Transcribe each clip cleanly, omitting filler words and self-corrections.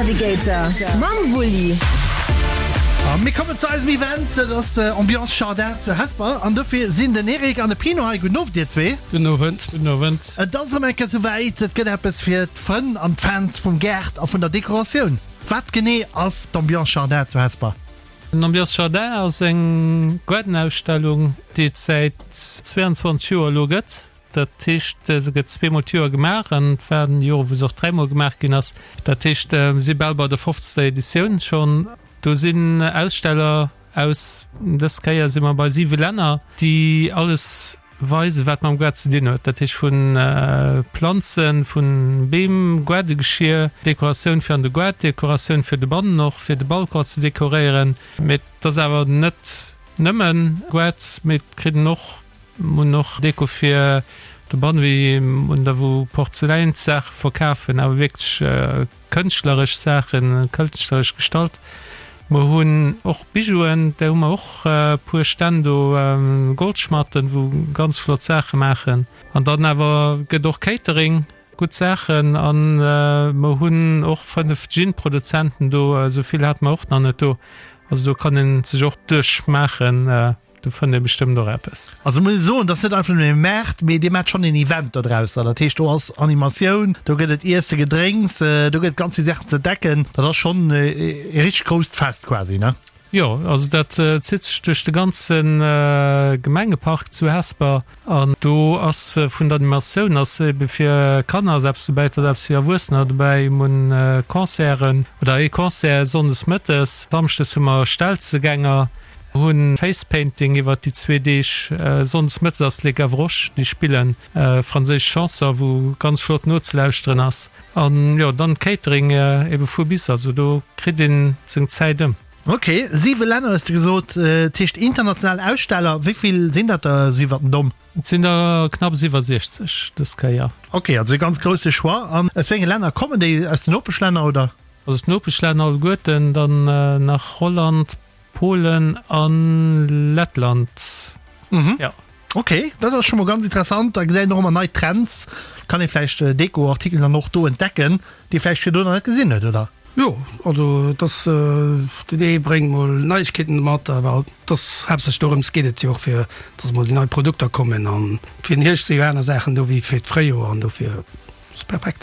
Navigator mam Wulli. A mir kommen zu eisem Event, dat ass Ambiance Jardin zu Hesper. An dofir sinn den Eric an de Pino hei. Gudden Owend dir zwee. Gudden Owend. Gudden Owend. Et ass erëm eng Kéier souwäit, et gëtt eppes fir d'Frënn an d'Fans vum Gaart a vun der Dekoratioun. Wat genee ass d'Ambiance Jardin zu Hesper? Den Ambiance Jardin ass eng Gaardenausstellung, déi et säit 22 Joer elo gëtt. Dat heescht, se gëtt zweemol d'Joer gemaach an et waren Joren, wou se och dräimol gemaach ginn ass. Dat heescht, mir si bal bei der fofzter Editioun schonn. Do sinn Aussteller aus, dës Kéier si mer bei siwe Länner, déi alles weisen, wat mam Gaart ze dinn huet. Dat heescht vu Planzen, vu Beem, Gaardegeschier, Dekoratioun fir an de Gaart, Dekoratioun fir de Bannen och, fir de Balcon ze dekoréieren. Mee et ass awer net nëmmen Gaart, mee et kritt een och, Mir hunn och Deko fir de Bann, wéi un der wou Porzeläinssaache verkafen, awer wierklech kënschtleresch Saachen, kënschtleresch gestalt. Mer hunn och Bijouen, där hu mer och e puer Stänn do, Goldschmatten, wou ganz flott Saache maachen. An dann awer gëtt och Catering, gutt Saachen. An mer hunn och 5 Gin-Produzenten do, esou vill hate mer och nach net do. Also do kann ee sech och duerchmaachen. Do fënnt ee bestëmmt och eppes. Also muss ech soen, dat ass net einfach nëmmen e Maart, mee dir maacht schonn een Event dodrausser. Dat heescht, do ass Animatioun, do gëtt et Iesse, Gedrénks, do gëtt et ganz vill Saachen ze entdecken. Dat ass schonn e richteg grousst Fest quasi, ne? Jo, also dat zitt sech duerch de ganze Gemengepark zu Hesper. An do ass vun der Animatioun ass ebe fir Kanner ass eppes dobäi, et ass eppes fir Erwuessener dobäi. Mir hunn Concerten oder ee Concert sonndes mëttes, samschdes hu mer Stelzegänger. Hunn Face Painting iwwert déi zwee Deeg. Sonndes mëttes ass Les Gavroches, déi spillen franséisch Chanson, wou ganz flott nozelauschteren ass. An jo, dann Catering ebe vu bis, also do kritt een seng Zäit ëm. Ok, 7 Länner hues de gesot, dat heescht international Aussteller. Wéi vill sinn dat der esou iwwert den Domm? Et sinn der knapps iwwer 60 dës Kéier. Ok, also e ganz grousse Choix. An aus wéi enge Länner kommen déi? Aus den Nopeschlänner oder? Also d'Nopeschlänner alleguerten, dann nach Holland, Polen an Lettland, jo. Ok, dat ass scho mol ganz interessant. Da gesäit een och ëmmer nei Trends. Kann ee vläicht Deko-Artikelen dann och do entdecken, déi ee vläicht virdrun nach net gesinn huet, oder? Jo, also et ass, den ee bréngt mol Neiegkeeten mat, awer et ass haaptsächlech dorëms geet et jo och, fir dass mol déi nei Produkter kommen. An fir den Hierscht si jo aner Saachen do wéi fir d'Fréijoer an dofir ass et perfekt.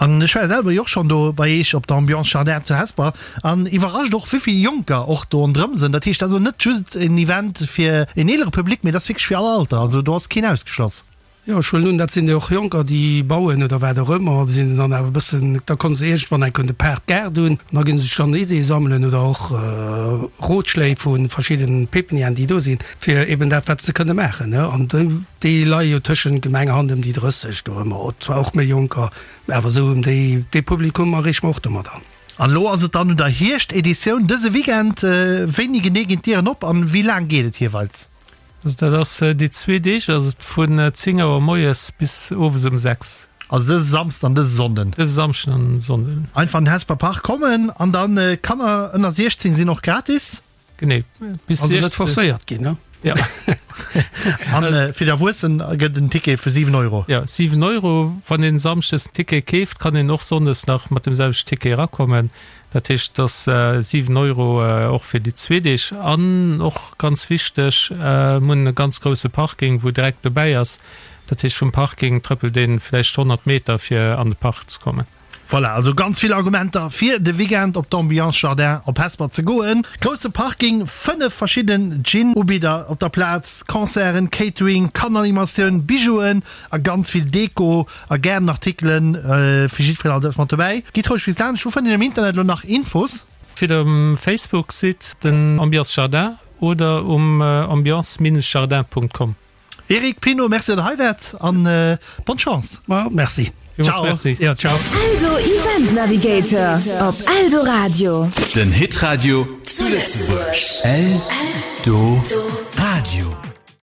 An ech war selwer jo och schonn do bei Eech op der Ambiance Jardin zu Hesper an iwwerrascht och wéivill Jonker och do ronderëm sinn. Dat heescht, dat ass elo net just en Event fir en eelere Public, mee dat ass wierklech fir all Alter. Also do ass keen ausgeschloss. Jo, ech huelen un, dat sinn jo och Jonker, déi bauen oder wat och ëmmer. Déi sinn dann awer e bëssen, da komme se iergendwann enk un de Paart Gaart un an da gi se sech dann Ideeë sammelen oder och Rotschléi vu verschiddenen Pépinièren, déi do sinn, fir eben dat, wat se kënne maachen. An Déi leie jo tëschent Gemengehand ëm déi 30 do ëmmer, zwar och méi Jonker, mä awer esou ëm déi, dee Publikum erreeche mer och domadder. An elo ass et dann un der Hierscht-Editioun dëse Weekend. Wéini genee ginn d'Dieren op an wéi laang geet et jeeweils? Also dat ass déi zwee Deeg ass et vun 10 Auer moies bis owes um 6. Also dëse Samsden an dëse Sonnden? Dëse Samschden an Sonnden. Einfach an den Hesper Park kommen an dann Kanner ënner 16 sinn och gratis? Genee. Bis also net forcéiert ginn, ne? Ja. An äh, fir d'Erwuessen gëtt en Ticket vu 7 Euro. Ja, 7 Euro. Wann een Samschdes en Ticket keeft, kann een och Sonndes nach mat dem selwechten Ticket erakommen. Dat heescht, et ass 7 Euro och fir déi zwee Deeg. An och ganz wichteg, mir hunn e ganz grousse Parking, wou direkt dobäi ass. Dat heescht, vum Parking trëppelt ee vläicht 100 Meter, fir an de Park ze kommen. Voilà, also ganz vill Argumenter fir de Weekend op d'Ambiance Jardin op Hesper ze goen. Grousse Parking, 5 verschidden Gin-Ubidder op der Plaz, Concerten, Catering, Kanneranimatioun, Bijouen a ganz vill Deko a Gaardenartikelen fir jiddwereen alt eppes mat dobäi. Gitt roueg bis laanscht. Wou fënnt een am Internet elo nach Infos? Fir um Facebook-Site den Ambiance Jardin oder um ambiance-jardin.com. Eric Pino, Merci datt der hei waart an bonne Chance. Ma merci. Ciao. Merci. Ja, ciao. Eldo Event Navigator op Eldoradio. Den Hitradio zu Lëtzebuerg. Eldoradio.